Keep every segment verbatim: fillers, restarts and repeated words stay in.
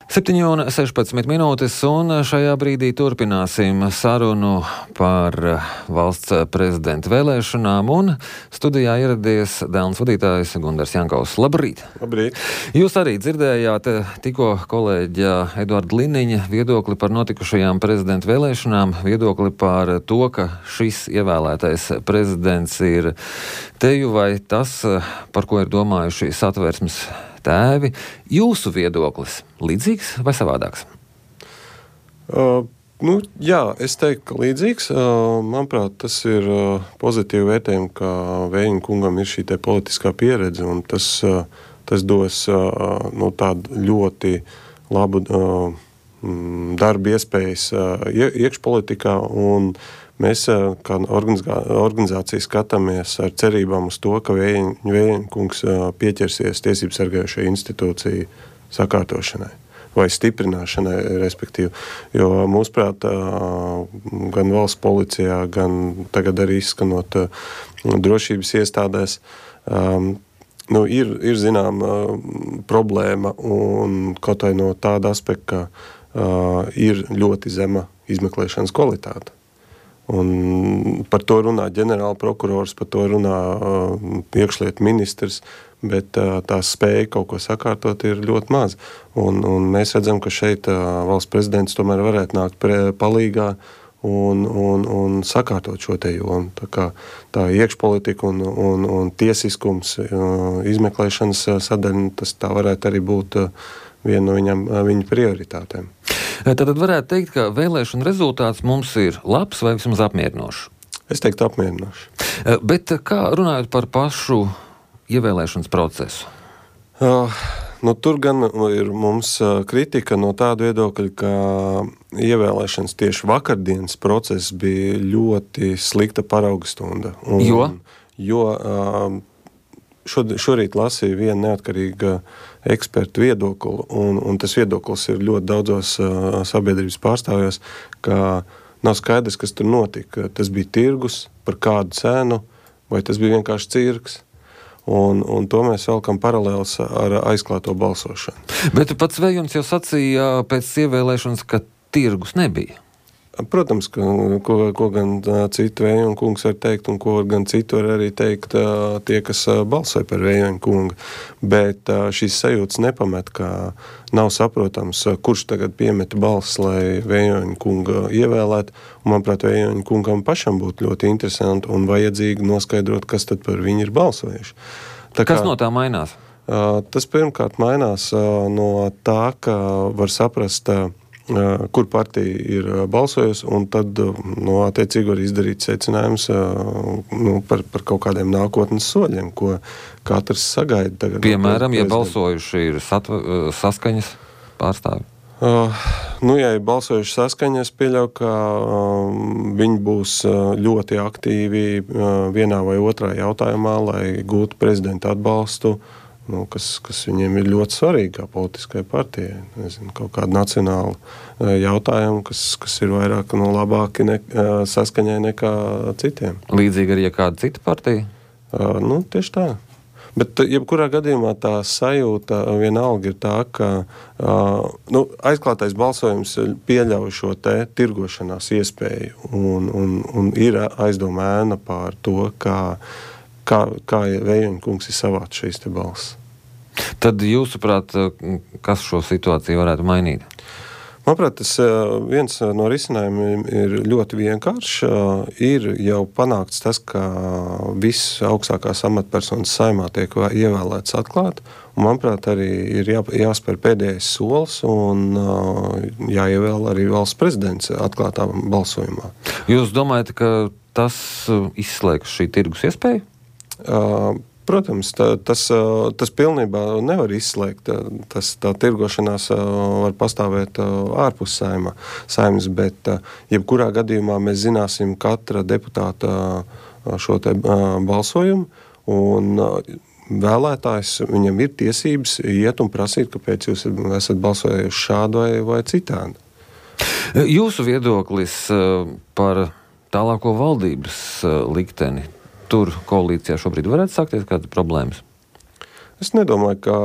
septiņi un sešpadsmit minūtes, un šajā brīdī turpināsim sarunu par valsts prezidenta vēlēšanām, un studijā ieradies Delnas vadītājs Gundars Jankovs. Labrīt! Labrīt! Jūs arī dzirdējāt tikko kolēģa Eduarda Liniņa viedokli par notikušajām prezidenta vēlēšanām, viedokli par to, ka šis ievēlētais prezidents ir teju vai tas, par ko ir domājuši Satversmes tēvi. Jūsu viedoklis līdzīgs vai savādāks? Uh, nu, jā, es teiktu, ka līdzīgs. Uh, manuprāt, tas ir uh, pozitīvi vērtējumi, ka Vējiņa kungam ir šī te politiskā pieredze, un tas, uh, tas dos uh, nu, tādu ļoti labu uh, darbu iespējas uh, iekšpolitikā, un mēs kā organizācija skatāmies ar cerībām uz to, ka Vējiņa kungs pieķersies tiesību sargājošai institūciju sakārtošanai vai stiprināšanai, respektīvi. Jo mūsuprāt, gan valsts policijā, gan tagad arī izskanot drošības iestādēs, nu, ir, ir zinām problēma, un kaut vai no tāda aspekta, ka ir ļoti zema izmeklēšanas kvalitāte. Un par to runā ģenerāla prokurors, par to runā uh, iekšlietu ministrs, bet uh, tā spēja kaut ko sakārtot ir ļoti maz. Un, un mēs redzam, ka šeit uh, valsts prezidents tomēr varētu nākt pre, palīgā un, un, un sakārtot šo te jomu. Tā kā tā iekšpolitika un, un, un tiesiskums, uh, izmeklēšanas sadaļa, tas tā varētu arī būt uh, viena no viņam, uh, viņa prioritātēm. Tad varētu teikt, ka vēlēšana rezultāts mums ir labs vai vismaz apmierinošs? Es teiktu apmierinošs. Bet kā runājot par pašu ievēlēšanas procesu? Uh, nu, tur gan ir mums kritika no tāda viedokļa, ka ievēlēšanas tieši vakardienas process bija ļoti slikta parauga stunda. Un, jo? Jo uh, šorīt lasīju vienu neatkarīgu ekspertu viedokli, un, un tas viedoklis ir ļoti daudzos uh, sabiedrības pārstāvjos, ka nav skaidrs, kas tur notika. Tas bija tirgus, par kādu cenu, vai tas bija vienkārši cirks. Un, un to mēs velkam paralēls ar aizklāto balsošanu. Bet pats Vējums jau sacīja pēc ievēlēšanas, ka tirgus nebija. Protams, ka, ko, ko gan citu Vējiņa kungs var teikt, un ko gan citu var arī teikt tie, kas balsoja par Vējiņa kungu. Bet šīs sajūtas nepamet, ka nav saprotams, kurš tagad piemeta balss, lai Vējiņa kunga ievēlētu. Un, manuprāt, Vējiņa kungam pašam būtu ļoti interesanti un vajadzīgi noskaidrot, kas tad par viņu ir balsojuši. Tā kas kā, no tā mainās? Tas pirmkārt mainās no tā, ka var saprast, kur partija ir balsojusi, un tad no, attiecīgi var izdarīt secinājums nu, par, par kaut kādiem nākotnes soļiem, ko katrs sagaida. Tagad, piemēram, ja balsojuši ir satva, saskaņas pārstāvi? Uh, nu, ja ir balsojuši saskaņa, es pieļauju, ka uh, viņi būs ļoti aktīvi uh, vienā vai otrā jautājumā, lai gūtu prezidenta atbalstu, Nu, kas, kas viņiem ir ļoti svarīgi kā politiskai partijai. Nezinu, kaut kādu nacionālu jautājumu, kas, kas ir vairāk no labāki ne, saskaņai nekā citiem. Līdzīgi arī ja kāda cita partija? Uh, nu, tieši tā. Bet jebkurā gadījumā tā sajūta vienalga ir tā, ka uh, nu, aizklātais balsojums pieļauj šo te tirgošanās iespēju un, un, un ir aizdoma ēna pār to, kā, kā, kā Vējiņa kungs ir savāc šīs te balss. Tad jūsuprāt, kas šo situāciju varētu mainīt? Manuprāt, tas viens no risinājumiem ir ļoti vienkāršs. Ir jau panākts tas, ka viss augstākās amatpersonas saimā tiek ievēlēts atklāti. Un, manuprāt, arī ir jā, jāspēr pēdējais solis un jāievēl arī valsts prezidents atklātā balsojumā. Jūs domājat, ka tas izslēgs šī tirgus iespēju? Uh, Protams, tā, tas, tas pilnībā nevar izslēgt. Tas, tā tirgošanās var pastāvēt ārpus saima, saimas, bet jebkurā gadījumā mēs zināsim katra deputāta šo te balsojumu, un vēlētājs, viņam ir tiesības iet un prasīt, kāpēc jūs esat balsojuši šādu vai, vai citādi. Jūsu viedoklis par tālāko valdības likteni, tur koalīcijā šobrīd varētu sākties kādas problēmas? Es nedomāju, ka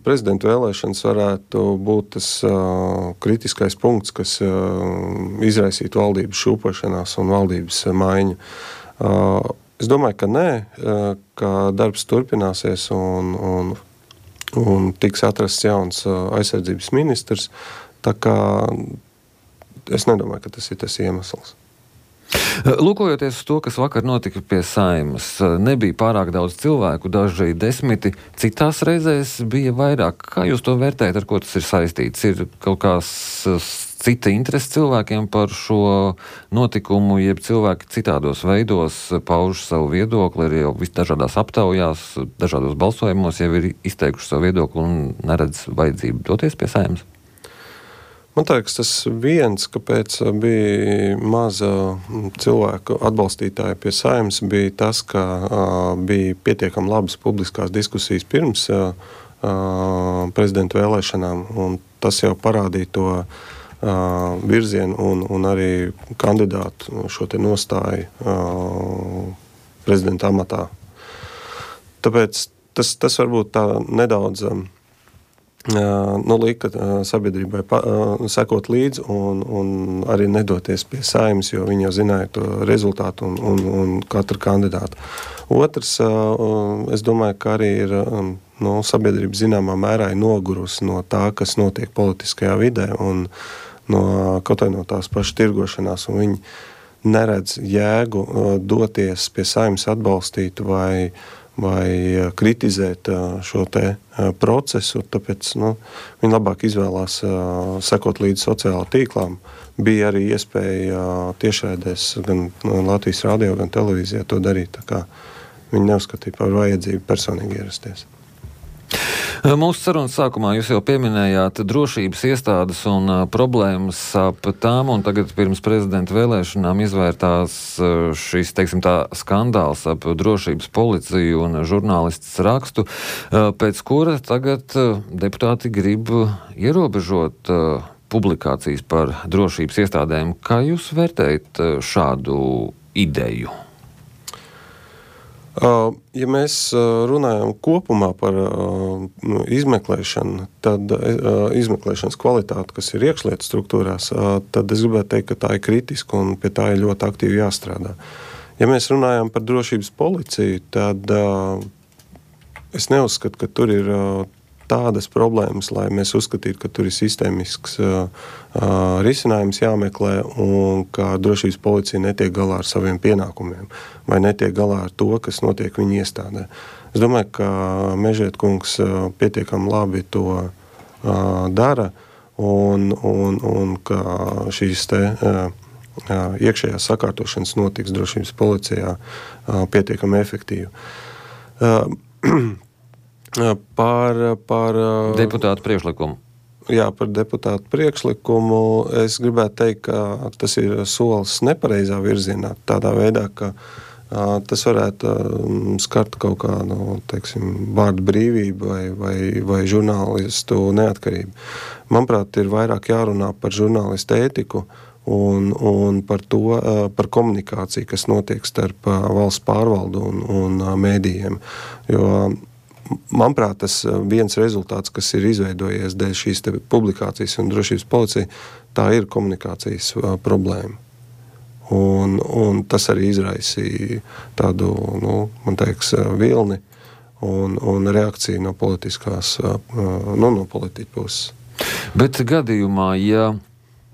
prezidenta vēlēšanas varētu būt tas uh, kritiskais punkts, kas uh, izraisītu valdības šūpošanās un valdības maiņu. Uh, es domāju, ka nē, uh, ka darbs turpināsies un, un, un tiks atrasts jauns uh, aizsardzības ministrs. Tā kā es nedomāju, ka tas ir tas iemesls. Lūkojoties uz to, kas vakar notika pie Saeimas, nebija pārāk daudz cilvēku, daži desmiti, citās reizēs bija vairāk. Kā jūs to vērtējat, ar ko tas ir saistīts? Ir kaut kāds cita interese cilvēkiem par šo notikumu, jeb cilvēki citādos veidos pauž savu viedokli, ir jau visdažādās aptaujās, dažādos balsojumos jau ir izteikuši savu viedokli un neredz vajadzību doties pie Saeimas? Man liekas, tas viens, kāpēc bija maza cilvēku atbalstītāja pie Saeimas, bija tas, ka uh, bija pietiekami labas publiskās diskusijas pirms uh, prezidenta vēlēšanām, un tas jau parādīja to uh, virzienu un, un arī kandidātu šo te nostāju uh, prezidenta amatā. Tāpēc tas, tas varbūt tā nedaudz um, nu, lika sabiedrībai pa, sekot līdzi un, un arī nedoties pie Saeimas, jo viņi jau zināja to rezultātu un, un, un katru kandidātu. Otrs, es domāju, ka arī ir nu, sabiedrība zināmā mērā ir nogurusi no tā, kas notiek politiskajā vidē un no, kaut vai no tās pašas tirgošanās, un viņi neredz jēgu doties pie Saeimas atbalstīt vai vai kritizēt šo te procesu, tāpēc nu, viņi labāk izvēlās sekot līdz sociālā tīklām. Bija arī iespēja tiešraidēs gan Latvijas radio, gan televīzijā to darīt, tā kā viņi neuzskatīja par vajadzību personīgi ierasties. Mūsu sarunas sākumā jūs jau pieminējāt drošības iestādes un uh, problēmas ap tām, un tagad pirms prezidenta vēlēšanām izvērtās uh, šis, teiksim tā, skandāls ap drošības policiju un žurnālistas rakstu, uh, pēc kura tagad uh, deputāti grib ierobežot uh, publikācijas par drošības iestādēm. Kā jūs vērtējat uh, šādu ideju? Ja mēs runājam kopumā par izmeklēšanu, tad izmeklēšanas kvalitāti, kas ir iekšlietu struktūrās, tad es gribētu teikt, ka tā ir kritiska un pie tā ir ļoti aktīvi jāstrādā. Ja mēs runājam par drošības policiju, tad es neuzskatu, ka tur ir tādas problēmas, lai mēs uzskatītu, ka tur ir sistēmisks uh, uh, risinājums jāmeklē un ka drošības policija netiek galā ar saviem pienākumiem vai netiek galā ar to, kas notiek viņa iestādē. Es domāju, ka Mežiet kungs uh, pietiekami labi to uh, dara un, un, un ka šīs te uh, uh, iekšējās sakārtošanas notiks drošības policijā uh, pietiekami efektīvi. Uh, Par, par deputātu priekšlikumu. Jā, par deputātu priekšlikumu es gribētu teikt, ka tas ir solis nepareizā virzienā, tādā veidā, ka a, tas varētu a, skart kaut kādu, teiksim, vārdu brīvību vai, vai, vai žurnālistu neatkarību. Manuprāt, ir vairāk jārunā par žurnālistu ētiku un, un par to, a, par komunikāciju, kas notiek starp a, valsts pārvaldu un, un a, mēdījiem. Jo manuprāt, tas viens rezultāts, kas ir izveidojies dēļ šīs te publikācijas un drošības policija, tā ir komunikācijas uh, problēma. Un, un tas arī izraisīja tādu, nu, man teiks, vilni un, un reakciju no politiskās, uh, nu, no politiķu puses. Bet gadījumā, ja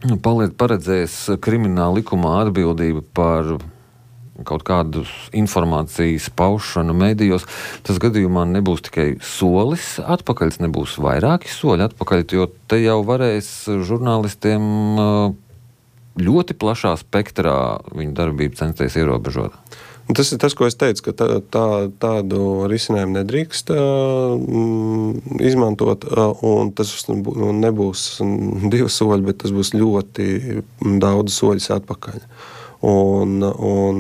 paredzēs krimināla likumā atbildība par kaut kādu informācijas paušanu medijos, tas gadījumā nebūs tikai solis atpakaļ, nebūs vairāki soļi atpakaļ, jo te jau varēs žurnālistiem ļoti plašā spektrā viņu darbību censties ierobežot. Tas ir tas, ko es teicu, ka tā, tā, tādu risinājumu nedrīkst uh, izmantot, uh, un tas nebūs divi soļi, bet tas būs ļoti daudz soļus atpakaļ. Un, un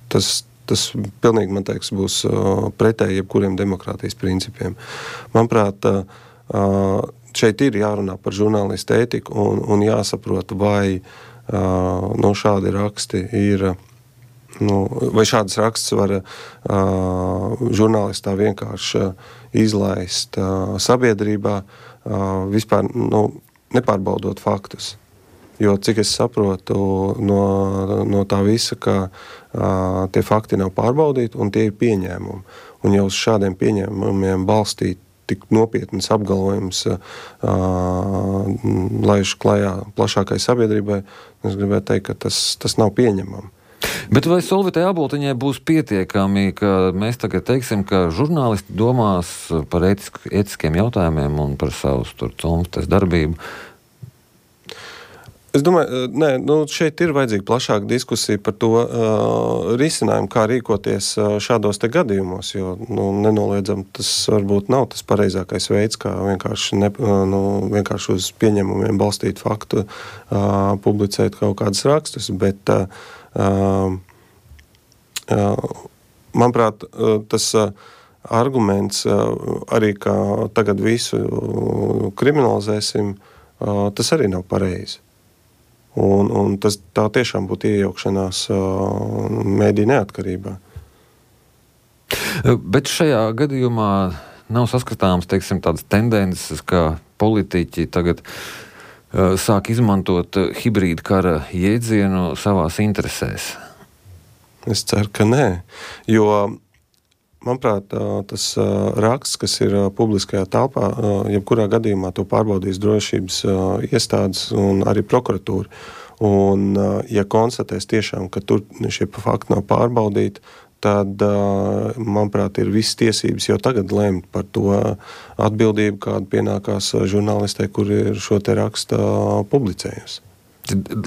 tas, tas pilnīgi, man teiks, būs pretēji jebkuriem demokrātijas principiem. Manuprāt, šeit ir jārunā par žurnālistu ētiku un, un jāsaprot, vai no šādi raksti ir Nu, vai šādas rakstus var uh, žurnālistā vienkārši izlaist uh, sabiedrībā, uh, vispār nu, nepārbaudot faktus. Jo, cik es saprotu no, no tā visa, ka uh, tie fakti nav pārbaudīti un tie ir pieņēmumi. Un jau uz šādiem pieņēmumiem balstīt tik nopietnas apgalvojums uh, laiž klajā plašākai sabiedrībai, es gribētu teikt, ka tas, tas nav pieņemami. Bet vai Solvitai Aboltiņai būs pietiekami, ka mēs tagad teiksim, ka žurnālisti domās par ētisk, ētiskiem jautājumiem un par savus tur cumstes darbību? Es domāju, nē, nu šeit ir vajadzīga plašāka diskusija par to uh, risinājumu, kā rīkoties uh, šādos te gadījumos, jo nu, nenoliedzam, tas varbūt nav tas pareizākais veids, kā vienkārši, ne, uh, nu, vienkārši uz pieņemumiem balstīt faktu, uh, publicēt kaut kādus rakstus, bet uh, uh, uh, manuprāt, uh, tas uh, arguments uh, arī, ka tagad visu uh, kriminalizēsim, uh, tas arī nav pareizi. Un, un tas tā tiešām būtu iejaukšanās uh, mēdī neatkarībā. Bet šajā gadījumā nav saskatāms, teiksim, tādas tendences, ka politiķi tagad uh, sāk izmantot hibrīda kara jēdzienu savās interesēs. Es ceru, ka nē, jo manuprāt, tas raksts, kas ir publiskajā telpā, jebkurā gadījumā to pārbaudīs drošības iestādes un arī prokuratūra. Un, ja konstatēs tiešām, ka tur šie fakti nav pārbaudīti, tad, manuprāt, ir visas tiesības jau tagad lemt par to atbildību, kāda pienākās žurnālistē, kur ir šo te raksta publicējusi.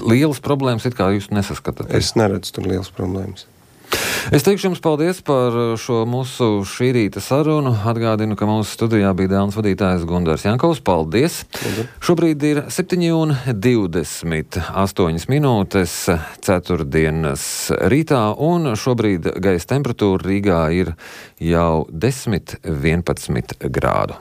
Lielas problēmas it kā jūs nesaskatāt? Es neredzu tur lielas problēmas. Es teikšu jums paldies par šo mūsu šī rīta sarunu. Atgādinu, ka mūsu studijā bija Dēlnes vadītājs Gundars Jankovs. Paldies! Paldies. Šobrīd ir septiņi un divdesmit astoņas minūtes ceturtdienas rītā, un šobrīd gaisa temperatūra Rīgā ir jau desmit vienpadsmit grādu.